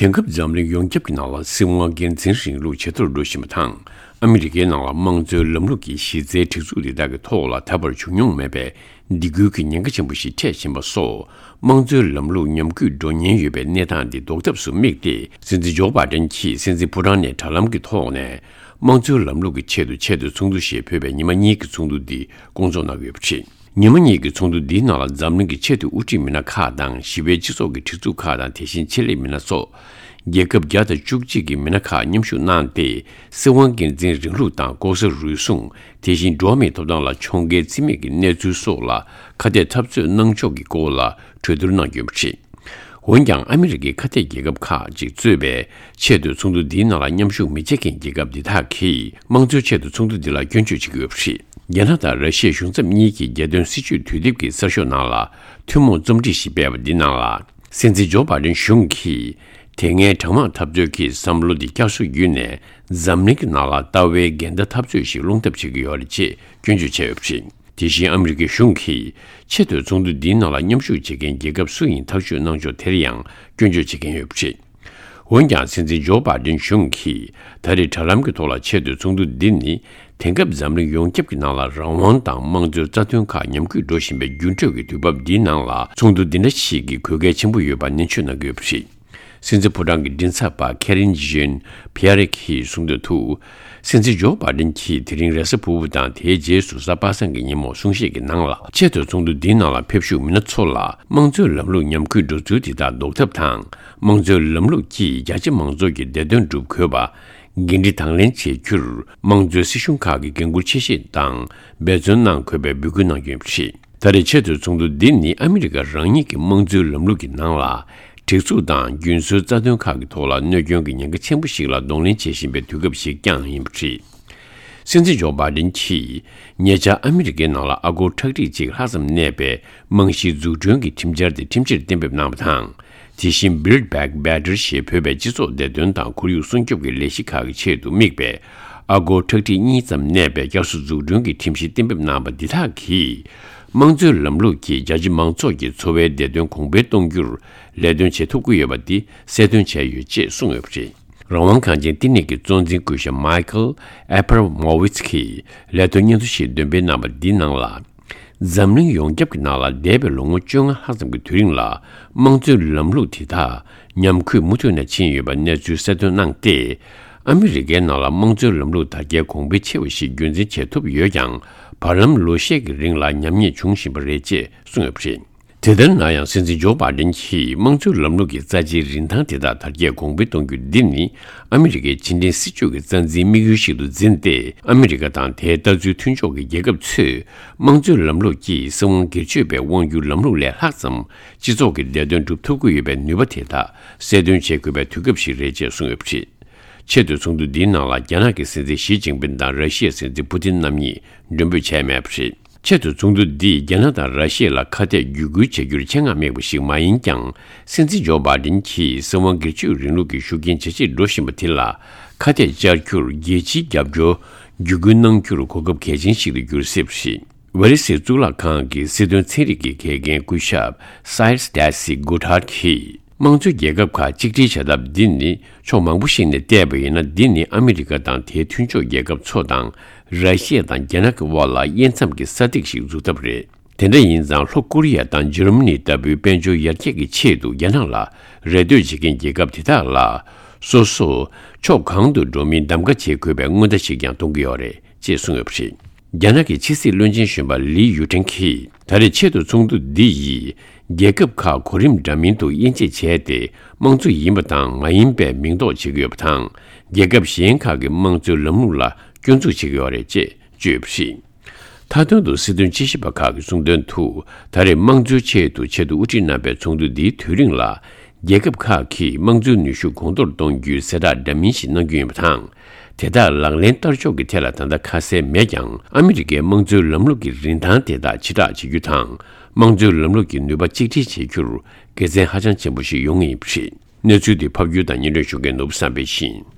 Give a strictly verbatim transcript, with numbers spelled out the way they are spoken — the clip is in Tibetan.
དེང་སྐབས་འཛམ་གླིང་ཡོངས་ཁྱབ་ཀྱི་ནང་ལ་སྲིད་དབང་སྒེར་འཛིན་རིང་ལུགས་ཇེ་མཐོར་འགྲོ་བཞིན་པ་དང་། ཨ་མི་རི་ཀའི་ནང་ལ་དམངས་གཙོའི་ལམ་ལུགས་ཀྱི་གཞི་རྩའི་སྒྲིག་འཛུགས་འདི་དག་གི་ཐོག་ལ་ད་བར་བྱུང་མྱོང་མེད་པའི་སྡིགས་སྐུལ་གྱི་ཉེན་ཁ་ཆེན་པོ་ཞིག་འཕྲད་བཞིན་པ་སོགས། དམངས་གཙོའི་ལམ་ལུགས་ཉམས་རྒུད་འགྲོ་ཉེན་ཡོད་པའི་གནས་སྟངས་འདི་ཟློག་ཐབས་སུ་དམིགས་ཏེ། སྲིད་འཛིན་ཇོ་བྷའི་ཌེན་གྱིས་སྲིད་འཛིན་ཕོ་བྲང་ནས་དྲ་ལམ་གྱི་ཐོག་ནས། དམངས་གཙོའི་ལམ་ལུགས་ཀྱི་ཆེད་དུ་ཆེས་མཐོའི་ཚོགས་འདུ་ཞེས་འབོད་པའི་ཉི་མ་གཉིས་ཀྱི་ཚོགས་འདུ་འདི་སྐོང་ཚོགས་གནང་ཡོད་པ་རེད། ཉི་མ་གཉིས་ཀྱི་ཚོགས་འདུ་འདིའི་ནང་ལ་འཛམ་གླིང་གི་ཆེས་མཐོའི་དབུ་ཁྲིད་མི་སྣ་ཁག་དང་། ཞི་བའི་སྤྱི་ཚོགས་ཀྱི་སྒྲིག་འཛུགས་ཁག་དང་། དེ་བཞིན་ཆེད་ལས་མི་སྣ་སོགས། རྒྱལ་ཁབ་བརྒྱ་དང་བཅུ་གཅིག་གི་མི་སྣ་ཁག་མཉམ་ཞུགས་གནང་སྟེ། སྲིད་དབང་སྒེར་འཛིན་རིང་ལུགས་དང་། ལྐོག་ཟ་རུལ་སུངས། དེ་བཞིན་འགྲོ་བ་མིའི་ཐོབ་ཐང་ལ་ཕྱོགས་འགལ་བརྩི་མེད་ཀྱི་གནས་ཚུལ་སོགས་ལ་ཁ་གཏད་འཐབ་རྩོད་གནང་ཕྱོགས་ཀྱི་སྐོར་ལ་གྲོས་བསྡུར་གནང་ཡོད་པ་རེད། འོན་ཀྱང་། ཨ་མི་རི་ཀའི་ཁ་གཏད་རྒྱལ་ཁབ་ཁག་ཅིག་གཙོས་པའི་ཆེས་མཐོའི་ཚོགས་འདུ་འདིའི་ནང་ལ་མཉམ་ཞུགས་མི་བྱེད་མཁན་རྒྱལ་ཁབ་འདི་དག་གིས། དམངས་གཙོའི་ཆེས་མཐོའི་ཚོགས་འདུ་འདི་ལ་སྐྱོན་བརྗོད་བྱེད་ཀྱི་ཡོད་པ་རེད། རྒྱ་ནག་དང་ར་ཤི་ཡའི་གཞུང་ཚབ་གཉིས་ཀྱིས་རྒྱལ་དོན་སྲིད་བྱུས་དུས་དེབ་ཀྱི་གསར་ཤོག་ནང་ལ་ཐུན་མོང་རྩོམ་སྒྲིག་ཞིག་སྤེལ་བ་འདི་ནང་ལ། སྲིད་འཛིན་ཇོ་བྷའི་ཌེན་གཞུང་གིས། དེ་སྔའི་གྲང་དམག་འཐབ་རྩོད་ཀྱི་བསམ་བློ་འདི་བསྐྱར་གསོ་བརྒྱུད་ནས། འཛམ་གླིང་གི་ནང་ལ་ལྟ་བའི་འགལ་ཟླ་འཐབ་རྩོད་ཞིག་སློང་ཐབས་བྱེད་ཀྱི་ཡོད་རེད་ཅེས་སྐྱོན་བརྗོད་བྱས་ཡོད་པ་རེད། དེ་བཞིན་ཨ་མི་རི་ཀའི་གཞུང་གིས་ཆེས་མཐོའི་ཚོགས་འདུ་འདིའི་ནང་ལ་མཉམ་ཞུགས་བྱེད་མཁན་རྒྱལ་ཁབ་སུ་ཡིན་ཐག་གཅོད་གནང་ཕྱོགས་དེར་ཡང་སྐྱོན་བརྗོད་བྱེད་མཁན་ཡོད་པ་རེད། འོན་ཀྱང་། སྲིད་འཛིན་ཇོ་བྷའི་ཌེན་གཞུང་གིས་ད་རེས་དྲ་ལམ་གྱི་ཐོག་ལ་ཆེས་མཐོའི་ཚོགས་འདུ་འདི་ནི་དེང་སྐབས་འཛམ་གླིང་ཡོངས་ཁྱབ་ཀྱི་ནང་ལ་རང་དབང་དང་དམངས་གཙོའི་རྩ་དོན་ཁག་ཉམས་རྒུད་འགྲོ་བཞིན་པའི་འགྱུར་འགྲོས་ཀྱི་དུས་བབ་འདིའི་ནང་ལ་ཚོགས་འདུ་འདི་འདྲ་ཞིག་གི་དགོས་གལ་ཆེན་པོ་ཡོད་པ་ནན་བརྗོད་གནང་གི་ཡོད་པ་རེད། སྲིད་འཛིན་ཕོ་བྲང་གི་མགྲིན་ཚབ་པ་ཁེ་རིན་ཇིན་ཕི་ཡ་རེ་གིས་གསུངས་དོན་དུ། སྲིད་འཛིན་ཇོ་བྷའི་ཌེན་གྱིས་དེ་རིང་རེས་གཟའ་ཕུར་བུ་དང་དེའི་རྗེས་སུ་གཟའ་པ་སངས་ཀྱི་ཉིན་མོ་གསུང་བཤད་ཀྱི་ནང་ལ། ཆེས་མཐོའི་ཚོགས་འདུ་འདིའི་ནང་ལ་ཕེབས་བཞུགས་མི་སྣ་ཚོ་ལ། དམངས་གཙོའི་ལམ་ལུགས་ཉམས་རྒུད་འགྲོ་ཚུལ་དེ་དག་ཟློག་ཐབས་དང་། དམངས་གཙོའི་ལམ་ལུགས་ཀྱིས་རྒྱ་ཆེ་མང་ཚོགས་ཀྱི་བདེ་དོན་སྒྲུབ་དགོས་པ། འགན་འཁྲི་དང་ལེན་བྱེད་རྒྱུར། དམངས་གཙོའི་སྲིད་གཞུང་ཁག་གི་འགན་འཁུར་ཆེ་བཞེས་དང་འབད་བརྩོན་གནང་དགོས་པའི་འབོད་སྐུལ་གནང་ཡོད་པ་རེད། ད་རེས་ཆེས་མཐོའི་ཚོགས་འདུ་འདི་ནི་ཨ་མི་རི་ཀ་རང་ཉིད་ཀྱི་དམངས་གཙོའི་ལམ་ལུགས་ཀྱི་ནང་ལ། སྒྲིག་འཛུགས་དང་རྒྱུན་སྲོལ་རྩ་དོན་ཁག་གི་ཐོག་ལ་གནོད་སྐྱོན་གྱི་ཉེན་ཁ་ཆེན་པོ་ཞིག་ལ་གདོང་ལེན་བྱེད་བཞིན་པའི་དུས་སྐབས་ཤིག་ཀྱང་ཡིན་པ་རེད། སྲིད་འཛིན་ཇོ་བྷའི་ཌེན་གྱིས་ཉེ་ཆར་ཨ་མི་རི་ཀའི་ནང་ལ་ཨ་སྒོར་ཁྲག་ཁྲིག་གཅིག་ལྷག་ཙམ་གནས་པའི་རྨང་གཞིའི་འཛུགས་སྐྲུན་གྱི་ཁྲིམས་འཆར་དེ་ཁྲིམས་ཆད་གཏན་འབེབས་གནང་བ་དང་། དེ་བཞིན་Build Back Better ཞེས་འབོད་པའི་སྤྱི་ཚོགས་བདེ་དོན་དང་ཁོར་ཡུག་སྲུང་སྐྱོབ་ཀྱི་ལས་གཞི་ཁག་གི་ཆེད་དུ་དམིགས་པའི་ཨ་སྒོར་ཁྲག་ཁྲིག་གཉིས་ཙམ་གནས་པའི་བསྐྱར་གསོ་འཛུགས་སྐྲུན་གྱི་ཁྲིམས་གཞི་གཏན་འབེབས་གནང་བ་འདི་དག་གིས། དམངས་གཙོའི་ལམ་ལུགས་ཀྱིས་རྒྱ་ཆེ་མང་ཚོགས་ཀྱི་འཚོ་བའི་བདེ་དོན་གོང་འཕེལ་གཏོང་རྒྱུར་ལས་དོན་བྱེད་ཐུབ་ཀྱི་ཡོད་པ་འདི་གསལ་སྟོན་བྱས་ཡོད་ཅེས་གསུངས་ཡོད་པ་རེད། རང་དབང་གངས་ཅན་བསྟི་གནས་ཀྱི་གཙོ་འཛིན་སྐུ་ཞབས་Michael Abramowitz གིས་ལས་དོན་སྙན་ཐོ་ཞིག་འདོན་སྤེལ་གནང་བ་འདིའི་ནང་ལ། འཛམ་གླིང་ཡོངས་ཁྱབ་ཀྱི་ནང་ལ་འདས་པའི་ལོ་ངོ་བཅོ་ལྔ་ལྷག་ཙམ་གྱི་དུས་རིང་ལ་དམངས་གཙོའི་ལམ་ལུགས་དེ་དག་ཉམས་རྒུད་མུ་མཐུད་ནས་ཕྱིན་ཡོད་པའི་གནས་ཚུལ་གསལ་སྟོན་གནང་སྟེ། ཨ་མི་རི་ཀའི་ནང་ལ་དམངས་གཙོའི་ལམ་ལུགས་དར་རྒྱས་གོང་འཕེལ་ཆེ་བ་ཞིག་རྒྱུན་འཛིན་བྱེད་ཐུབ་ཡོད་ཀྱང་། བར་ལམ་ལོ་ཤས་ཀྱི་རིང་ལ་ཉམས་ཉེས་བྱུང་བཞིན་པ་རེད་ཅེས་གསུངས་ཡོད་པ་རེད། དེ་ལྟར་ན་ཡང་། སྲིད་འཛིན་ཇོ་བྷའི་ཌེན་གྱིས་དམངས་གཙོའི་ལམ་ལུགས་ཀྱི་རྩ་ཆེའི་རིན་ཐང་དེ་དག་དར་རྒྱས་གོང་འཕེལ་གཏོང་རྒྱུ་འདི་ནི། ཨ་མི་རི་ཀའི་ཕྱི་འབྲེལ་སྲིད་ཇུས་ཀྱི་རྩ་འཛིན་དམིགས་ཡུལ་ཞིག་ཏུ་འཛིན་ཏེ། ཨ་མི་རི་ཀ་དང་དེའི་ལྟ་ཚུལ་མཐུན་ཕྱོགས་ཀྱི་རྒྱལ་ཁབ་ཚོས། དམངས་གཙོའི་ལམ་ལུགས་ཀྱིས་སྲིད་དབང་སྒེར་གཅོད་པའི་དབང་སྒྱུར་ལམ་ལུགས་ལས་ལྷག་ཙམ། སྤྱི་ཚོགས་ཀྱི་བདེ་དོན་སྒྲུབ་ཐུབ་ཀྱི་ཡོད་པའི་ནུས་པ་དེ་དག་གསལ་སྟོན་བྱེད་དགོས་པའི་དུས་སྐབས་ཤིག་རེད་ཅེས་གསུངས་ཡོད་པ་རེད། ཆེས་མཐོའི་ཚོགས་འདུ་འདིའི་ནང་ལ། རྒྱ་ནག་གི་སྲིད་འཛིན་ཞི་ཅིན་ཕིན་དང་། ར་ཤི་ཡའི་སྲིད་འཛིན་པུ་ཏིན་རྣམ་གཉིས་མགྲོན་འབོད་བྱས་མེད་པ་རེད། ཆེས་མཐོའི་ཚོགས་འདུ་འདིས་རྒྱ་ནག་དང་ར་ཤི་ཡ་ལ་ཁ་གཏད་བརྒྱུད་སྐུལ་བྱ་རྒྱུར་ཆེད་མངགས་དམིགས་པ་ཞིག་མ་ཡིན་ཀྱང་། སྲིད་འཛིན་ཇོ་བྷའི་ཌེན་གྱིས་སྲིད་དབང་སྒེར་གཅོད་རིང་ལུགས་ཀྱི་ཤུགས་རྐྱེན་ཇེ་ཆེར་འགྲོ་བཞིན་པ་དེ་ལ་ཁ་གཏད་བཅར་རྒྱུར། རྒྱལ་སྤྱིའི་རྒྱབ་སྐྱོར་བརྒྱུད་སྐུལ་གནང་རྒྱུར་གོ་སྐབས་གལ་ཆེན་ཞིག་ཏུ་འགྱུར་སྲིད་པ་རེད། ཝེ་རི་སིའི་གཙུག་ལག་ཁང་གི་སྲིད་དོན་ཚན་རིག་གི་དགེ་རྒན་སྐུ་ཞབས་Sir Stacy Goodhart གྱིས། དམངས་གཙོའི་རྒྱལ་ཁབ་ཁག་གཅིག་སྒྲིལ་བྱ་ཐབས་འདི་ནི། ཕྱོགས་མང་པོ་ཞིག་ནས་བལྟས་པ་ཡིན་ན། འདི་ནི་ཨ་མི་རི་ཀ་དང་དེའི་མཐུན་ཕྱོགས་རྒྱལ་ཁབ་ཚོ་དང་། ར་ཤི་ཡ་དང་རྒྱ་ནག་གི་དབར་ལ་དབྱེ་མཚམས་ཀྱི་ས་ཐིག་ཞིག་འཛུགས་ཐབས་རེད། དེ་འདྲ་ཡིན་ཙང་། ལྷོ་ཀོ་རི་ཡ་དང་འཇར་མ་ནི་ལྟ་བུའི་དཔལ་འབྱོར་ཡར་རྒྱས་ཀྱི་ཆེད་དུ་རྒྱ་ནག་ལ་རེ་ལྟོས་བྱེད་མཁན་རྒྱལ་ཁབ་དེ་དག་ལ། སོ་སོ་ཕྱོགས་གང་དུ་འགྲོ་མིན་གདམ་ག་བྱེད་དགོས་པའི་སྔོན་བརྡ་ཞིག་ཀྱང་གཏོང་གི་ཡོད་རེད་ཅེས་གསུངས་ཡོད་པ་རེད། རྒྱ་ནག་གི་ཕྱི་སྲིད་བློན་ཆེན་གཞོན་པ་ལི་ཡུ་ཀྲེང་གིས། ད་རེས་ཆེས་མཐོའི་ཚོགས་འདུ་འདི་ཡིས། རྒྱལ་ཁབ་ཁག་གོ་རིམ་འདྲ་མིན་དུ་དབྱེ་འབྱེད་བྱས་ཏེ། དམངས་གཙོ་ཡིན་པ་དང་མ་ཡིན་པའི་མིང་འདོགས་བྱེད་ཀྱི་ཡོད་པ་དང་། རྒྱལ་ཁབ་གཞན་ཁག་གི་དམངས་གཙོའི་ལམ་ལུགས་ལ་སྐྱོན་འཛུགས་བྱེད་ཀྱི་ཡོད་རེད་ཅེས་བརྗོད་ཡོད་པ་རེད། མཐའ་དོན་དུ། སྲིད་དོན་དཔྱད་ཞིབ་པ་ཁག་གིས་གསུངས་དོན་དུ། ད་རེས་དམངས་གཙོའི་ཆེད་དུ་ཆེད་དུ་དབུ་ཁྲིད་གནང་པའི་ཚོགས་འདུ་འདིའི་དུས་རིང་ལ། རྒྱལ་ཁབ་ཁག་གིས་དམངས་གཙོའི་ནུས་ཤུགས་གོང་མཐོར་གཏོང་རྒྱུའི་གསལ་བསྒྲགས་འདྲ་མིན་ཞིག་གནང་རྒྱུ་ཡིན་པ་དང་། དེ་དག་ལག་ལེན་བསྟར་ཕྱོགས་ཀྱི་ཐད་ལ་ད་ལྟ་ཁ་གསལ་མེད་ཀྱང་། ཨ་མི་རི་ཀའི་དམངས་གཙོའི་ལམ་ལུགས་ཀྱི་རིན་ཐང་དེ་དག་ཇེ་དྲག་བྱེད་རྒྱུ་དང་། དམངས་གཙོའི་ལམ་ལུགས་ཀྱི་ནུས་པ་གཅིག་སྒྲིལ་བྱེད་རྒྱུར་དགེ་མཚན་ཧ་ཅང་ཆེན་པོ་ཞིག་ཡོང་ངེས་ཡིན་པ་རེད། གནས་ཚུལ་འདི་ཕབ་སྒྱུར་དང་སྙན་སྒྲོན་ཞུ་མཁན་ནོར་བུ་བསམ་འཕེལ་ཡིན།